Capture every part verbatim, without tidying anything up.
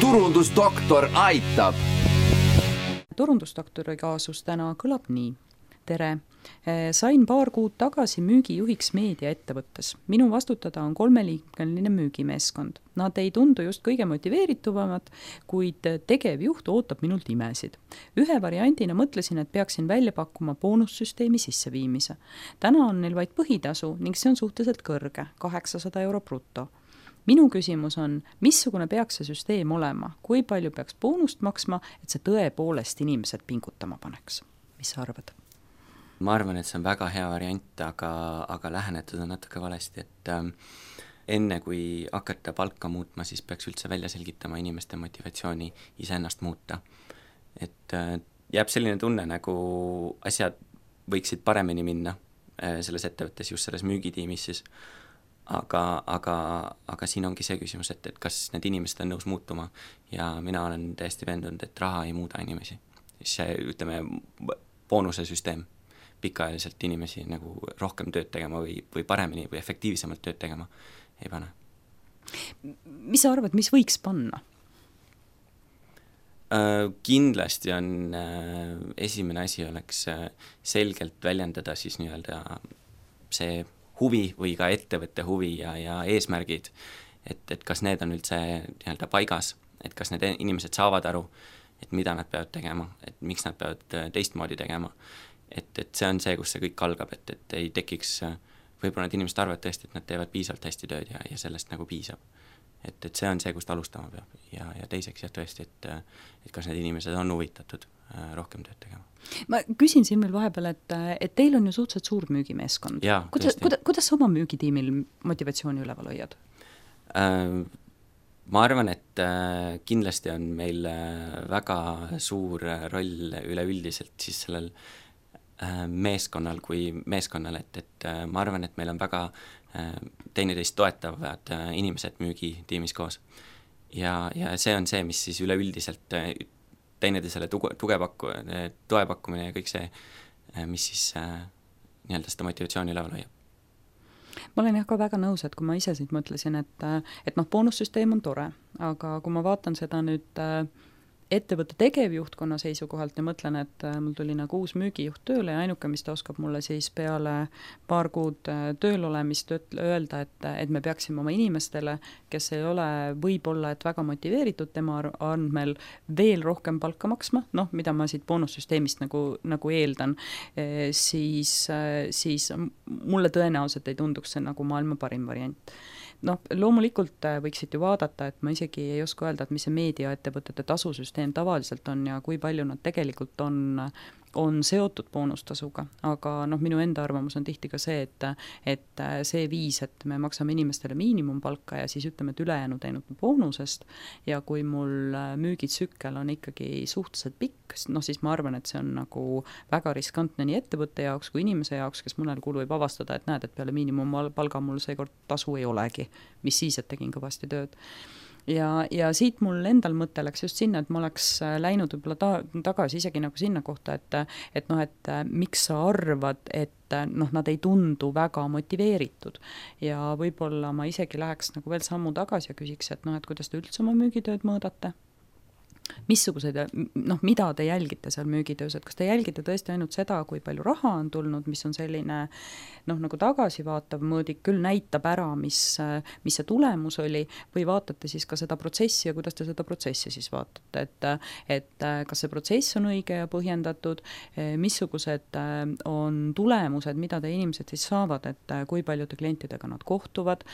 turundusdoktor aitab. Turundusdoktori kaasus täna kõlab nii. Tere! Sain paar kuud tagasi müügijuhiks meediaettevõttes. Minu vastutada on kolmeliikmeline müügimeeskond. Nad ei tundu just kõige motiveerituvamad, kuid tegevjuht ootab minult imesid. Ühe variandina mõtlesin, et peaksin välja pakkuma boonussüsteemi sisseviimise. Täna on neil vaid põhitasu ning see on suhteliselt kõrge, kaheksasada euro bruto. Minu küsimus on, missugune peaks see süsteem olema, kui palju peaks boonust maksma, et see tõepoolest inimesed pingutama paneks. Mis sa arvad? Ma arvan, et see on väga hea variant, aga, aga lähenetud on natuke valesti, et ähm, enne kui hakata palka muutma, siis peaks üldse välja selgitama inimeste motivatsiooni iseennast muuta. Et äh, jääb selline tunne, nagu asjad võiksid paremini minna äh, selles ettevõttes, just selles müügitiimis siis, aga, aga, aga siin ongi see küsimus, et, et kas need inimesed on nõus muutuma ja mina olen täiesti veendunud, et raha ei muuda inimesi. See, ütleme, boonuse süsteem pikaajaliselt inimesi nagu rohkem tööd tegema või, või paremini või efektiivsemalt tööd tegema ei pane. Mis sa arvad, mis võiks panna? Äh, kindlasti on äh, esimene asi oleks äh, selgelt väljendada siis nii-öelda see huvi või ka ettevõtte huvi ja, ja eesmärgid, et, et kas need on üldse nii-öelda paigas, et kas need inimesed saavad aru, et mida nad peavad tegema, et miks nad peavad teistmoodi tegema. Et, et see on see, kus see kõik algab, et, et ei tekiks, võib-olla need inimesed arvavad tõesti, et nad teevad piisavalt hästi tööd ja, ja sellest nagu piisab. Et, et see on see, kust alustama peab ja, ja teiseks jah tõesti, et, et kas need inimesed on huvitatud rohkem tööd tegema. Ma küsin siin veel vahepeal, et, et teil on ju suhteliselt suur müügimeeskond. Jaa, kuidas, kuidas, kuidas sa oma müügitiimil motivatsiooni üleval hoiad? Äh, ma arvan, et äh, kindlasti on meil väga suur roll üleüldiselt siis sellel meeskonnal kui meeskonnal, et, et ma arvan, et meil on väga teineteist toetavad inimesed müügitiimis koos. Ja, ja see on see, mis siis üleüldiselt teineteisele tuge, tuge pakku, toe pakkumine ja kõik see, mis siis nii-öelda seda motivatsiooni üleval hoiab. Ma olen jah ka väga nõus, et kui ma ise siit mõtlesin, et, et noh, boonussüsteem on tore, aga kui ma vaatan seda nüüd ettevõtte tegevjuhtkonna seisukohalt ja mõtlen, et mul tuli nagu uus müügijuht tööle ja ainuke, mis ta oskab mulle siis peale paar kuud tööl olemist öelda, et, et me peaksime oma inimestele, kes ei ole võib-olla et väga motiveeritud tema andmel veel rohkem palka maksma, noh, mida ma siit boonussüsteemist nagu, nagu eeldan, siis, siis mulle tõenäoliselt ei tunduks see nagu maailma parim variant. Noh, loomulikult võiksid ju vaadata, et ma isegi ei oska öelda, et mis see meediaettevõtete tasusüsteem tavaliselt on ja kui palju nad tegelikult on, on seotud boonustasuga, aga noh, minu enda arvamus on tihti ka see, et, et see viis, et me maksame inimestele miinimumpalka ja siis ütleme, et ülejäänud ainult boonusest ja kui mul müügitsükkel on ikkagi suhteliselt pikk, noh siis ma arvan, et see on nagu väga riskantne nii ettevõtte jaoks kui inimese jaoks, kes mõnel kuul võib avastada, et näed, et peale miinimumpalga mul seekord tasu ei olegi, mis siis, et tegin kõvasti tööd. Ja, ja siit mul endal mõte läks just sinna, et ma oleks läinud võib-olla ta, tagasi isegi nagu sinna kohta, et, et noh, et miks sa arvad, et noh, nad ei tundu väga motiveeritud ja võib-olla ma isegi läheks nagu veel sammu tagasi ja küsiks, et noh, et kuidas te üldse oma müügitööd mõõdate? Missugused, noh, mida te jälgite seal müügitöös, et kas te jälgite tõesti ainult seda, kui palju raha on tulnud, mis on selline noh, nagu tagasivaatav mõõdik, küll näitab ära, mis, mis see tulemus oli, või vaatate siis ka seda protsessi ja kuidas te seda protsessi siis vaatate, et, et kas see protsess on õige ja põhjendatud, missugused on tulemused, mida te inimesed siis saavad, et kui paljude klientidega nad kohtuvad,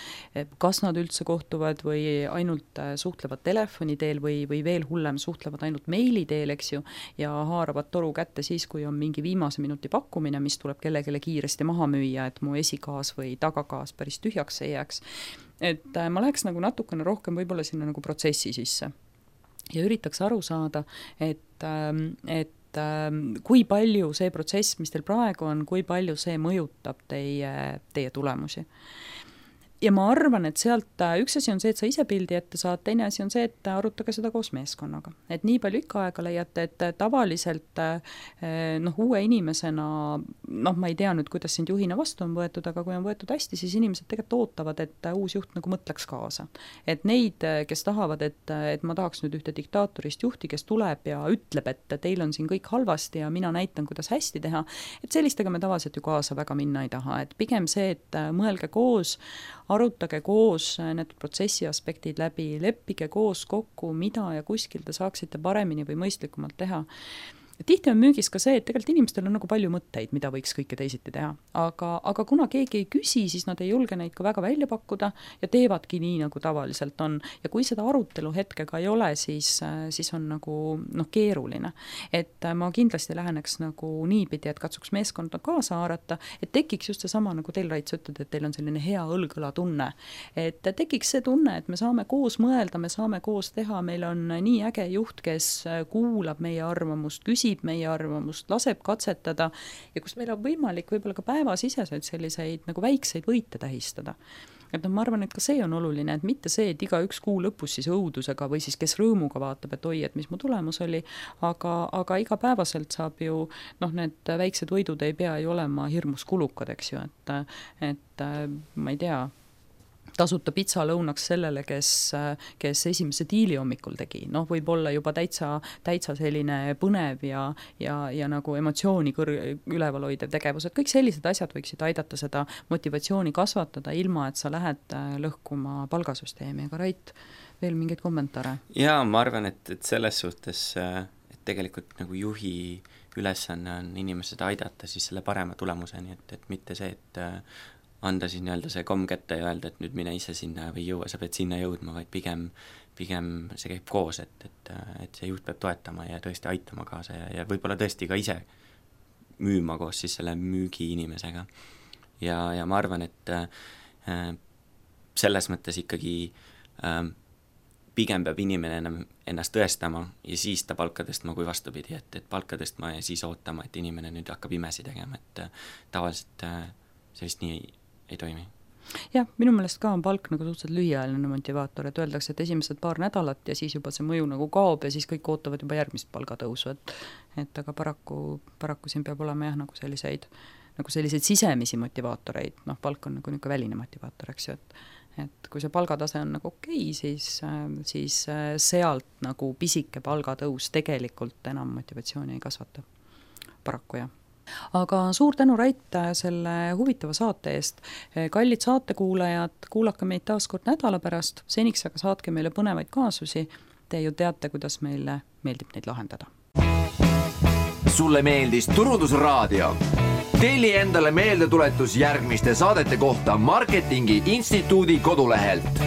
kas nad üldse kohtuvad või ainult suhtlevad telefoni teel või, või veel hullem suhtlevad ainult meili teel, eks ju, ja haaravad toru kätte siis, kui on mingi viimase minuti pakkumine, mis tuleb kellegele kiiresti maha müüa, et mu esikaas või tagakaas päris tühjaks ei jääks. Et ma läheks nagu natukene rohkem võib-olla sinna nagu protsessi sisse ja üritaks aru saada, et, et kui palju see protsess, mis teil praegu on, kui palju see mõjutab teie, teie tulemusi. ja ma arvan, et sealt üks asi on see, et sa ise pildi ette saad, teine asi on see, et arutage seda koos meeskonnaga. Et nii palju ikka aega leiate, et tavaliselt noh, uue inimesena, noh, ma ei tea nüüd, kuidas sind juhina vastu on võetud, aga kui on võetud hästi, siis inimesed tegelikult ootavad, et uus juht nagu mõtleks kaasa. Et neid, kes tahavad, et, et ma tahaks nüüd ühte diktaatorist juhti, kes tuleb ja ütleb, et teil on siin kõik halvasti ja mina näitan, kuidas hästi teha, et sellistega me tavaliselt ju kaasa väga minna ei taha. Et pigem see, et mõelge koos, arutage koos need protsessi aspektid läbi, leppige koos kokku, mida ja kuskil te saaksite paremini või mõistlikumalt teha. Tihti on müügis ka see, et tegelikult inimestel on nagu palju mõtteid, mida võiks kõike teisiti teha. Aga, aga kuna keegi ei küsi, siis nad ei julge neid ka väga välja pakkuda ja teevadki nii, nagu tavaliselt on. Ja kui seda arutelu hetkega ei ole, siis, siis on nagu noh, keeruline. Et ma kindlasti läheneks nagu niipidi, et katsuks meeskonda kaasa haarata, et tekiks just seesama, nagu teil Raits ütled, et teil on selline hea õlgõla tunne. Et tekiks see tunne, et me saame koos mõelda, me saame koos teha, meil on nii äge juht, kes kuulab meie arvamust, küsib meie arvamust, laseb katsetada ja kus meil on võimalik võib-olla ka päevasiseseid selliseid nagu väikseid võite tähistada. Et no ma arvan, et ka see on oluline, et mitte see, et iga üks kuu lõpus siis õudusega või siis kes rõõmuga vaatab, et oi, et mis mu tulemus oli, aga, aga igapäevaselt saab ju, noh, need väiksed võidud ei pea ju olema hirmus kulukad, eks ju, et, et ma ei tea, tasuta pitsa lõunaks sellele, kes, kes esimese diili hommikul tegi. Noh, võib olla juba täitsa, täitsa selline põnev ja, ja, ja nagu emotsiooni kõr- üleval hoidev tegevus. Et kõik sellised asjad võiksid aidata seda motivatsiooni kasvatada, ilma et sa lähed lõhkuma palgasüsteemi. Aga Rait, veel mingeid kommentaare? Jaa, ma arvan, et, et selles suhtes, et tegelikult nagu juhi ülesanne on inimesed aidata siis selle parema tulemuseni, et, et mitte see, et anda siis nii-öelda see komm kätte ja öelda, et nüüd mine ise sinna või jõua, sa pead sinna jõudma, vaid pigem, pigem see käib koos, et, et, et see juht peab toetama ja tõesti aitama kaasa ja, ja võib-olla tõesti ka ise müüma koos siis selle müügi inimesega. Ja, ja ma arvan, et äh, selles mõttes ikkagi äh, pigem peab inimene enam ennast tõestama ja siis ta palka tõstma kui vastupidi, et, et palka tõstma ja siis ootama, et inimene nüüd hakkab imesi tegema, et äh, tavaliselt äh, sellist nii ei, ei toimi. Jah, minu meelest ka on palk nagu suhteliselt lühiajaline motivaator, et öeldakse, et esimesed paar nädalat ja siis juba see mõju nagu kaob ja siis kõik ootavad juba järgmist palgatõusu, et, et aga paraku, paraku siin peab olema jah, nagu selliseid, nagu selliseid sisemisi motivaatoreid, noh, palk on nagu niisugune väline motivaator, eks ju, et, et kui see palgatase on nagu okei, siis, siis sealt nagu pisike palgatõus tegelikult enam motivatsiooni ei kasvata. Paraku jah. Aga suur tänu, Rait, selle huvitava saate eest. Kallid saatekuulajad, kuulake meid taas kord nädala pärast, seniks aga saatke meile põnevaid kaasusi. Te ju teate, kuidas meile meeldib neid lahendada. Sulle meeldis Turundusraadio? Telli endale meeldetuletus järgmiste saadete kohta Marketingi Instituudi kodulehelt.